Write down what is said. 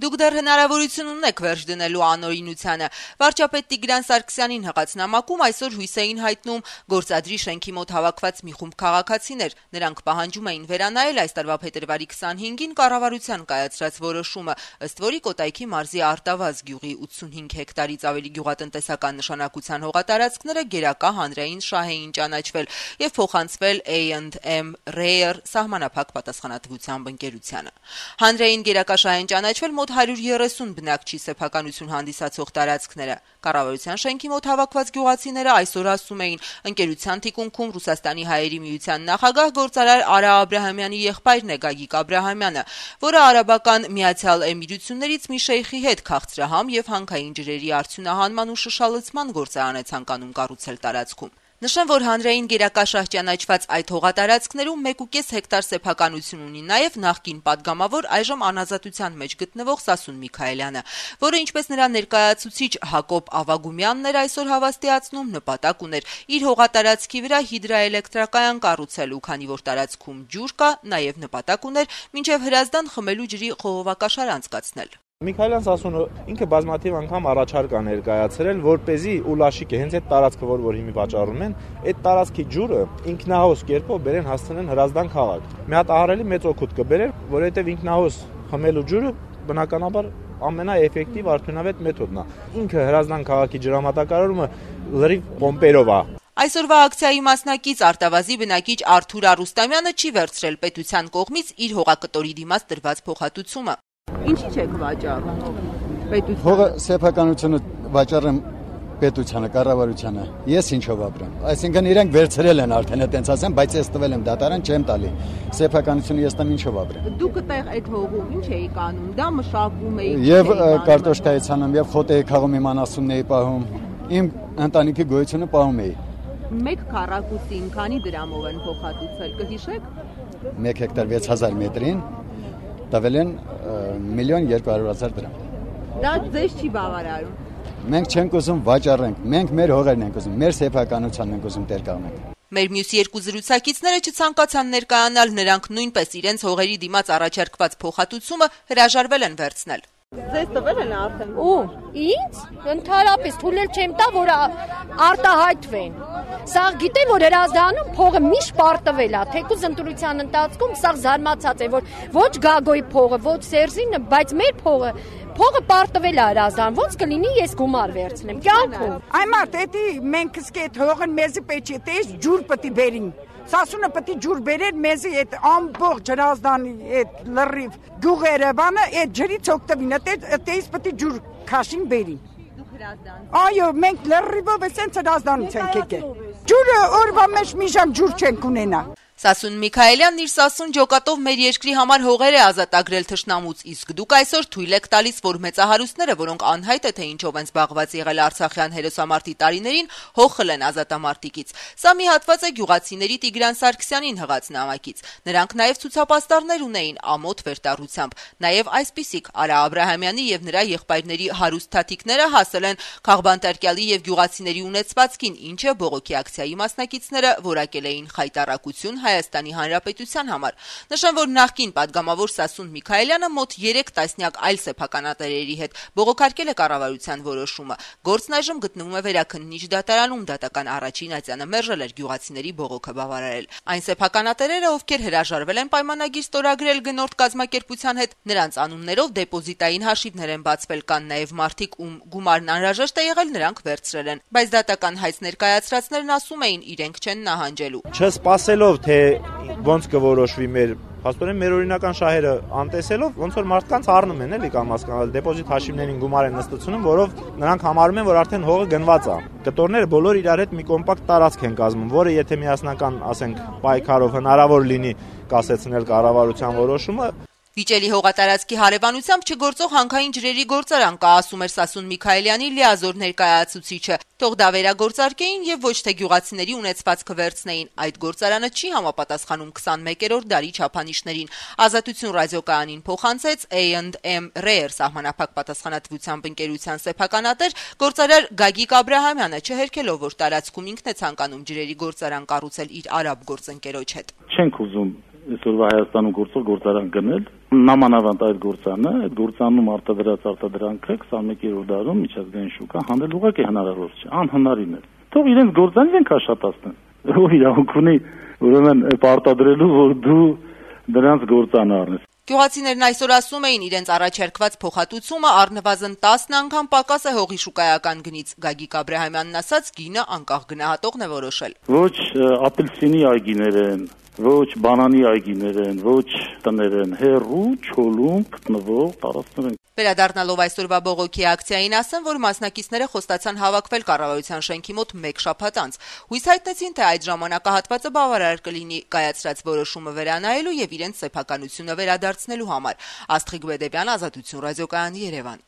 Դուք դեռ հնարավորություն ունեք վերջ դնելու անօրինությանը։ Վարչապետ Տիգրան Սարգսյանին հղած նամակում այսօր հույս էին հայտնում գործադրի շենքի մոտ հավաքված մի խումբ քաղաքացիներ։ Նրանք պահանջում էին վերանայել այս տարվա փետրվարի 25-ին կառավարության կայացրած որոշումը, ըստ որի Կոտայքի մարզի Արտավազ գյուղի 85 հեկտարից ավելի գյուղատնտեսական նշանակության հողատարածքները գերակա հանրային շահ էին ճանաչվել եւ փոխանցվել A&M Rare սահմանափակ պատասխանատվությամբ ընկերությանը։ Հանրային գերակա շահ են ճանաչվել մոտ 130 բնակչի սեփականություն հանդիսացող տարածքները։ Կառավարության շենքի մոտ հավաքված գյուղացիները այսօր ասում էին, ընկերության թիկունքում Ռուսաստանի հայերի միության նախագահ գործարար Արա Աբրահամյանի եղբայրն է Գագիկ Աբրահամյանը, որը արաբական Միացյալ Էմիրություններից մի շեյխի հետ քաղցրահամ եւ հանքային ջրերի արդյունահանման ու շշալցման գործարան է ցանկանում կառուցել տարածքում։ Նշեմ, որ հանրային գերակա շահ ճանաչված այդ հողատարածքներում 1.5 հեկտար սեփականություն ունի նաև նախկին падգամավոր այժմ անազատության մեջ գտնվող Սասուն Միքայելյանը, որը ինչպես նրա ներկայացուցիչ Հակոբ Ավագումյանն էր այսօր հավաստիացնում, նպատակ ուներ իր հողատարածքի վրա հիդրոէլեկտրակայան կառուցելու, քանի որ տարածքում ջուր կա, նաև նպատակ ուներ մինչև Հրազդան խմելու ջրի խողովակաշար անցկացնել։ Միքայելյան Սասունը ինքը բազմաթիվ անգամ առաջարկ է ներկայացրել, որպեսզի ուլաշիկը հենց այդ տարածքը, որ հիմի վաճառում են, այդ տարածքի ջուրը ինքնահոս կերպով բերեն հասցնեն Հրազդան քաղաք։ Մի հատ ահռելի մեծ օգուտ կբերեր, որովհետև ինքնահոս խմելու ջուրը բնականաբար ամենաէֆեկտիվ արդյունավետ մեթոդն է։ Ինքը Հրազդան քաղաքի ջրամատակարարումը լրիվ պոմպերով է։ Այսօրվա ակցիայի մասնակից Արտավազի բնակիչ Արթուր Արուստամյանը չի վերցրել պետության կողմից իր հողակտորի դիմաց տրված փոխհատուցումը։ Ինչի՞ չեք վաճառում պետությանը։ Հողը սեփականությունը վաճառեմ պետությանը, կառավարությանը։ Ես ինչով ապրեմ։ Այսինքն իրենք վերցրել են արդեն այտենց ասեմ, բայց ես տվել եմ դատարան չեմ տալի։ Սեփականությունը ես տամ ինչով ապրեմ։ Դուք այդտեղ այդ հողում ինչ էիք անում։ Դա մշակում էիք։ Եվ կարտոշկայից անում, եւ խոտ էի քաղում, իմ անասունն էի պահում։ Իմ ընտանիքի գոյությունը պահում էի։ 1 քառակուսին քանի դրամով են փոխհատուցել, կհիշեք։ 1 հեկտար 6000 մետրին տվել են 1,200,000 դրամ։ Դա ձեզ չի բավարարում։ Մենք չենք ուզում վաճառենք, մենք մեր հողերն ենք ուզում, մեր սեփականությանն ենք ուզում տեր կանգնենք։ Մեր մյուս երկու զրուցակիցները չցանկացան ներկայանալ, նրանք նույնպես իրենց հողերի դիմաց առաջարկված փոխհատուցումը հրաժարվել են վերցնել։ Ձեզ տվել են արդեն։ Ու ինձ ընդհանրապես թույլ չեմ տա, որ արտահայտվեն։ Սա գիտեմ, որ Հրազդանում փողը միշտ պարտվել է, թեկուզ ընտրության ընթացքում սա զարմացած է, որ ոչ Գագոյի փողը, ոչ Սերժինը, բայց մեր փողը պարտվել է Հրազդան, ոնց կլինի ես գումար վերցնեմ, կյանքում։ Այմարդ, էդի մենք սկե հողը մեզի պետք է տես ջուր պետք է բերին։ Սասունը պետք է ջուր բերեր մեզի այդ ամբողջ Հրազդանի այդ լրիվ գյուղերը բանը այդ ջրից օգտվին, այդտեղից պետք է ջուր քաշին բերին։ Դուք Հրազդան։ Այո, մենք լրիվով էսենց Հրազդանից ենք եկել։ Ջուրը օրվա մեջ մի ժամ ջուր չենք ունենա։ Սասուն Միքայելյանն իր Սասուն ջոկատով մեր երկրի համար հողեր է ազատագրել թշնամուց, իսկ դուք այսօր թույլ եք տալիս, որ մեծահարուստները, որոնք անհայտ է թե ինչով են զբաղված եղել արցախյան հերոսամարտի տարիներին, հող խլեն ազատամարտիկից։ Սա մի հատված է գյուղացիների Տիգրան Սարգսյանին հղած նամակից։ Նրանք նաև ցուցապաստառներ ունեին ամոթ վերտառությամբ։ Նաև այսպիսիք Արա Աբրահամյանի եւ նրա եղբայրների հարուստ թաթիկները հասել են Խաղբանտարկյալի եւ գյուղացիների ունեցվածքին, ինչը բողոքի ակցիայի մասնակիցները որակել էին խայտառակություն Հայաստանի Հանրապետության համար։ Նշեմ, որ նախկին падգամավոր Սասուն Միքայելյանը մոտ 3 տասնյակ այլ սեփականատերերի հետ բողոքարկել է կառավարության որոշումը։ Գործն այժմ գտնվում է վերաքննիչ դատարանում, դատական առաջին ատյանը մերժել էր գյուղացիների բողոքը բավարարել։ Այն սեփականատերերը, ովքեր հրաժարվել են պայմանագիր ստորագրել գնորդ կազմակերպության հետ, նրանց անուններով դեպոզիտային հաշիվներ են բացվել, կան նաև մարդիկ, ում գումարն անհրաժեշտ է եղել, նրանք վերցրել են, բայց դատական հայց ներկայացրածներն ասում էին, իրենք չեն նահանջելու։ Չսպասելով թե ոնց կորոշվի փաստորեն մեր օրինական շահերը անտեսելով, ոնց որ մարդկանց առնում են էլի կամ հասկանալ դեպոզիտ հաշիվներին գումար են նստեցնում, որով նրանք համարում են, որ արդեն հողը գնված է։ Կտորները բոլոր իրար հետ մի կոմպակտ տարածք են կազմում, որը եթե միասնական, ասենք, պայքարով հնարավոր լինի կասեցնել կառավարության որոշումը, Վիճելի հողատարածքի հարևանությամբ չգործող հանքային ջրերի գործարան կա, ասում էր Սասուն Միքայելյանի լիազոր ներկայացուցիչը։ Թող դա վերագործարկեին եւ ոչ թե գյուղացիների ունեցվածքը վերցնեին։ Այդ գործարանը չի համապատասխանում 21-րդ դարի չափանիշներին։ Ազատություն ռադիոկայանին փոխանցեց A&M Rare սահմանափակ պատասխանատվությամբ ընկերության սեփականատեր գործարար Գագիկ Աբրահամյանը, չհերքելով, որ տարածքում ինքն է ցանկանում ջրերի գործարան կառուցել իր արաբ գործընկերոջ հետ։ Չենք ուզում այսօրվա Հայաստանում գործող գործարան գնել, նամանավանդ այդ գործանում արտադրած արտադրանքը 21-րդ դարում միջազգային շուկա հանել ուղղակի հնարավոր չէ, անհնարին է։ Թող իրենց գործան իրենք աշխատացնեն։ Ով իրավունք ունի ուրեմն արտադրելու, որ դու դրանց գործանը առնես։ Գյուղացիներն այսօր ասում էին իրենց առաջարկված փոխհատուցումը առնվազն 10 անգամ պակաս է հողի շուկայական գնից։ Գագիկ Աբրահամյանն ասաց, գինը անկախ գնահատողն է որոշել։ Ոչ ապելսինի այգիներ են, ոչ բանանի այգիներ են, ոչ տներ են, հեռու չոլում գտնվող տարածքներ են։ Վերադառնալով այսօրվա բողոքի ակցիային ասեմ, որ մասնակիցները խոստացան հավաքվել կառավարության շենքի մոտ 1 շաբաթ անց։ Հույս հայտնեցին, թե այդ ժամանակահատվածը բավարար կլինի կայացրած որոշումը վերանայելու եւ իրենց սեփականությունը վերադարձնելու համար։ Աստղիկ Բեդեբյան, Ազատություն ռադիոկայանի, Երևան։